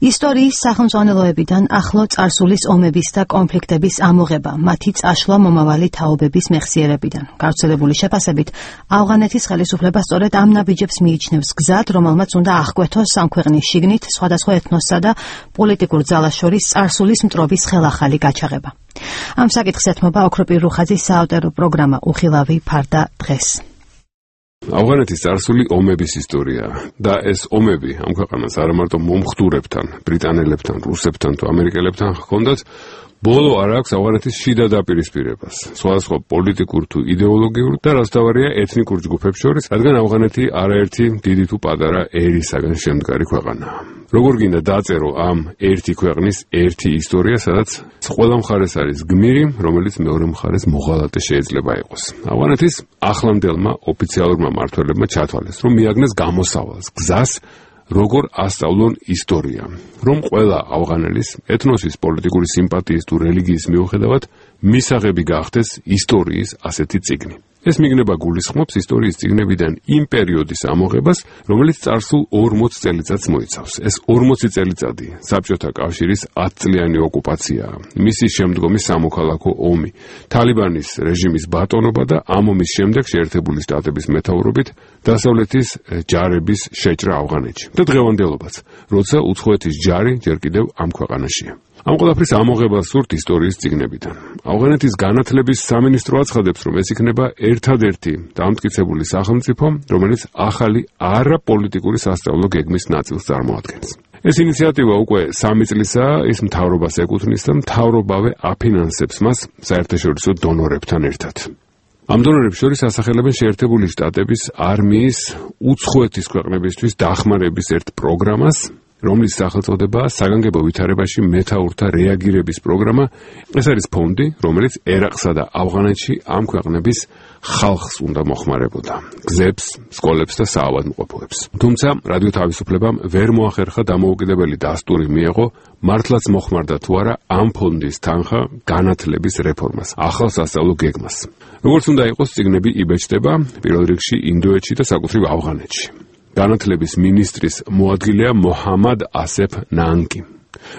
ისტორიის სახელმძღვანელოებიდან ახლო წარსულის ომების და კონფლიქტების ამოღება, მათი წაშლა მომავალი თაობების მეხსიერებიდან. გავრცელებული შეფასებით, ავღანეთის ხელისუფლება სწორედ ამ ნაბიჯებს მიიჩნევს გზად, რომელმაც უნდა აღკვეთოს ამ ქვეყნის შიგნით სხვადასხვა ეთნოსსა და პოლიტიკურ ძალას შორის წარსულის მტრობის ხელახალი გაჩაღება. ამ საკითხს ეთმობა ოქროპირ რუხაძის საავტორო პროგრამა უხილავი ფარდა დღეს. ავღანეთის წარსული ომების ისტორია და ეს ომები ამ ქვეყანას არა მარტო მომხდურებთან, ბრიტანელებთან, რუსებთან თუ ამერიკელებთან ჰქონდათ, ბოლო არ აქვს ავღანეთის შიდა დაპირისპირებას, სხვადასხვა პოლიტიკურ თუ იდეოლოგიურ და რასთავარია ეთნიკურ ჯგუფებს შორის, რადგან ავღანეთი არაერთი დიდი თუ პატარა ერისაგან შემდგარი ქვეყანაა. როგორ გინდა დაწერო ამ ერთი ქვეყნის ერთი ისტორია, სადაც ყველა მხარეს არის გმირი, რომელიც მეორე მხარეს მოღალატე შეიძლება იყოს. ავღანეთის ახლანდელმა ოფიციალურმა მმართველებმა ჩათვალეს, რომ მიაგნეს გამოსავალს, გზას, როგორ ასწავლონ ისტორია, რომ ყველა ავღანელის ეთნოსის პოლიტიკური სიმპათიის თუ რელიგიის მიუხედავად მისაღები გახდეს ისტორიის ასეთი წიგნი. ეს მიგნება გულისხმობს ისტორიის წიგნებიდან იმ პერიოდის ამოღებას, რომელიც წარსულ 40 წელიწადს მოიცავს. ეს 40 წელიწადი საბჭოთა კავშირის 10-წლიანი ოკუპაციაა, მისი შემდგომი სამოქალაქო ომი, თალიბანის რეჟიმის ბატონობა და ამ ომის შემდეგ შეერთებული შტატების მეთაურობით დასავლეთის ჯარების შეჭრა ავღანეთში და დღევანდელობაც, როცა უცხოეთის ჯარი ჯერ კიდევ ამ ქვეყანაშია. ამ ყველაფრის ამოღებას სურთ ისტორიის წიგნებიდან. ავღანეთის განათლების სამინისტრო აცხადებს, რომ ეს იქნება ერთადერთი დამტკიცებული სახელმწიფო, რომელიც ახალი არაპოლიტიკური სასწავლო გეგმის ნაწილს წარმოადგენს. ეს ინიციატივა უკვე 3 წლისაა, ის მთავრობას ეკუთვნის და მთავრობავე აფინანსებს მას საერთაშორისო დონორებთან ერთად. ამ დონორებს შორის ასახელებენ შეერთებული შტატების არმიის უცხოეთის ქვეყნებისთვის დახმარების ერთ პროგრამას, რომლის სახელწოდებაა საგანგებო ვითარებაში მეთაურთა რეაგირების პროგრამა. ეს არის ფონდი, რომელიც ერაყსა და ავღანეთში ამ ქვეყნების ხალხს უნდა მოხმარებოდა, გზებს, სკოლებს და საავადმყოფოებს. თუმცა რადიო თავისუფლებამ ვერ მოახერხა დამოუკიდებელი დასტური მიეღო, მართლაც მოხმარდა თუ არა ამ ფონდის თანხა განათლების რეფორმას, ახალ სასწავლო გეგმას. როგორც უნდა იყოს, წიგნები იბეჭდება პირველ რიგში ინდოეთში და საკუთრივ ავღანეთში. განათლების მინისტრის მოადგილეა მოჰამად ასეფ ნანგი,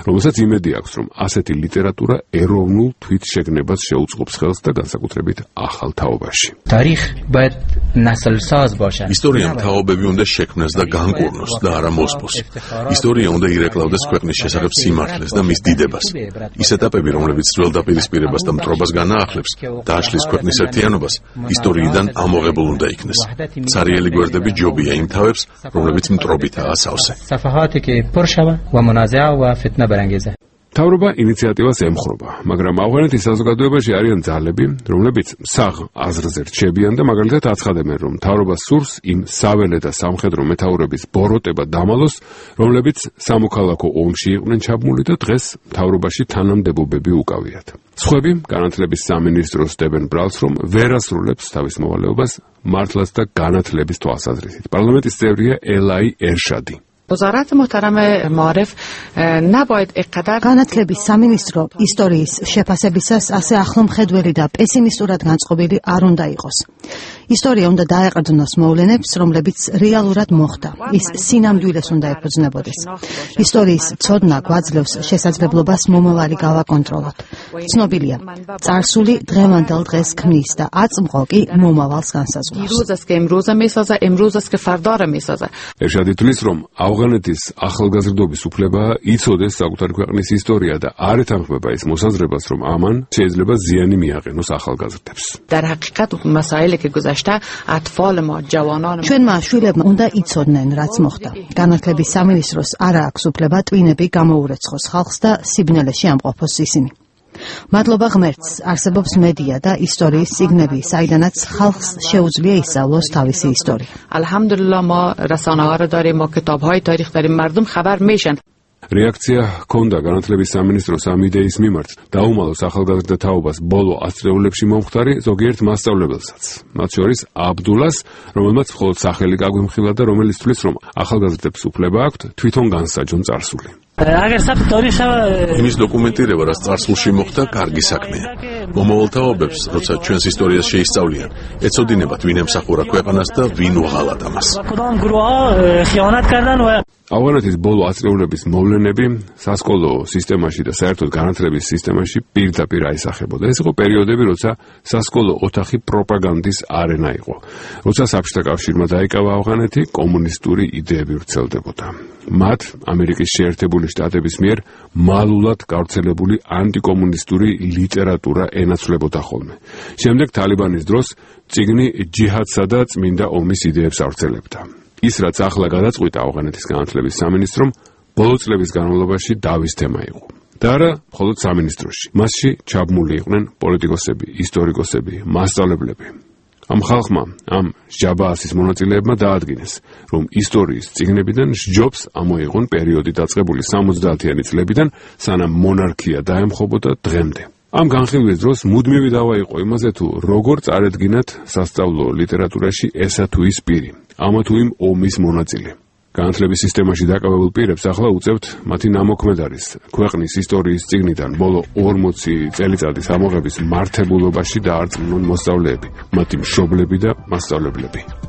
რომელსაც იმედი აქვს, რომ ასეთი ლიტერატურა ეროვნულ თვითშეგნებას შეუწყობს ხელს და განსაკუთრებით ახალ თაობაში. ისტორიამ თაობები უნდა შექმნას და განკურნოს და არა მოსპოს. ისტორია უნდა ირეკლავდეს ქვეყნის შესახებ სიმართლეს და მის დიდებას. ის ეტაპები, რომლებიც ძველ დაპირისპირებას და მტრობას განაახლებს, დააშლის ქვეყნის ერთიანობას, ისტორიიდან ამოღებულ უნდა იქნეს. ცარიელი გვერდები ჯობია იმ თავებს, რომლებიც მტრობითაა სავსე. მთავრობა ინიციატივას ემხრობა, მაგრამ ავღანეთის საზოგადოებაში არიან ძალები, რომლებიც საღ აზრზე რჩებიან და მაგალითად აცხადებენ, რომ მთავრობა სურს იმ საველე და სამხედრო მეთაურების ბოროტება დამალოს, რომლებიც სამოქალაქო ომში იყვნენ ჩაბმული და დღეს მთავრობაში თანამდებობები უკავიათ. სხვები განათლების სამინისტროს დებენ ბრალს, რომ ვერ ასრულებს თავის მოვალეობას მართლაც და განათლების თვალსაზრისით. პარლამენტის წევრია ელაი ერშადი. وزارت محترم معارف نباید اینقدر განათლების სამინისტრო ისტორიის შეფასებისას ასე ახლომხედველი და პესიმისტურად განწყობილი არ უნდა იყოს. ისტორია უნდა დაეყრდნოს მოვლენებს, რომლებიც რეალურად მოხდა. ის სინამდვილეს უნდა ეფუძნებოდეს. ისტორიის ცოდნა გვაძლევს შესაძლებლობას მომავალი გავაკონტროლოთ. ცნობილია, წარსული დღევანდელ დღეს ქმნის და აწმყო კი მომავალს განსაზღვრავს. ერშადი თვლის, რომ ავღანეთის ახალგაზრდობის უფლებაა იცოდეს საკუთარი ქვეყნის ისტორია და არ ეთანხმება ის მოსაზრებას, რომ ამან შეიძლება ზიანი მიაყენოს ახალგაზრდებს. ჩვენმა შვილებმა უნდა იცოდნენ, რაც მოხდა. განათლების სამინისტროს არ აქვს უფლება ტვინები გამოურეცხოს ხალხს და სიბნელეში ამყოფოს ისინი. მადლობა ღმერთს, არსებობს მედია და ისტორიის წიგნები, საიდანაც ხალხს შეუძლია ისწავლოს თავისი ისტორია. الحمدلله ما رسانه‌ها رو داریم، ما کتاب‌های تاریخ داریم، مردم خبر میشن. რეაქცია ჰქონდა განათლების სამინისტროს ამ იდეის მიმართ, დაუმალოს ახალგაზრდა თაობას ბოლო 100 წლებში მომხდარი ზოგიერთ მასწავლებელსაც, მათ შორის აბდულას, რომელმაც მხოლოდ სახელი გაგვიმხილა და რომელიც თვლის, რომ ახალგაზრდებს უფლება აქვთ თვითონ განსაჯონ წარსული. იმის დოკუმენტირება, რაც წარსულში მოხდა, კარგი საქმეა. მომავალ თაობებს, როცა ჩვენს ისტორიას შეისწავლიან, ეცოდინებათ ვინ ემსახურა ქვეყანას და ვინ უღალატა მას. ავღანეთის ბოლო აწლეულების მოვლენები სასკოლო სისტემაში და საერთოდ განათლების სისტემაში პირდაპირ აისახებოდა. ეს იყო პერიოდები, როცა სასკოლო ოთახი პროპაგანდის არენა იყო. როცა საბჭოთა კავშირმა დაიკავა ავღანეთი, კომუნისტური იდეები ვრცელდებოდა. მათ ამერიკის შეერთებული შტატების მიერ მალულად გავრცელებული ანტიკომუნისტური ლიტერატურა ენაცვლებოდა ხოლმე. შემდეგ თალიბანის დროს წიგნი ჯიჰადსა და წმინდა ომის იდეებს ავრცელებდა. ის რაც ახლა გადაწყვიტა ავღანეთის განათლების სამინისტრომ, ბოლო წლების განმავლობაში დავის თემა იყო. და არა მხოლოდ სამინისტროში. მასში ჩაბმული იყვნენ პოლიტიკოსები, ისტორიკოსები, მასწავლებლები. ამ ხალხმა, ამ ჟაბაასის მონაწილეებმა დაადგინეს, რომ ისტორიის წიგნებიდან სჯობს ამოიღონ პერიოდი დაწყებული 70-იანი წლებიდან, სანამ მონარქია დაემხობოდა დღემდე. ამ განხილვის დროს მუდმივი დავა იყო იმაზე, თუ როგორ წარედგინათ სასწავლო ლიტერატურაში ესა თუ ის პირი, ამა თუ იმ ომის მონაწილე. განათლების სისტემაში დაკავებულ პირებს ახლა უწევთ მათი ნამოქმედარის ქვეყნის ისტორიის წიგნიდან ბოლო 40 წელიწადის ამოღების მართებულობაში დაარწმუნონ მოსწავლეები, მათი მშობლები და მასწავლებლები.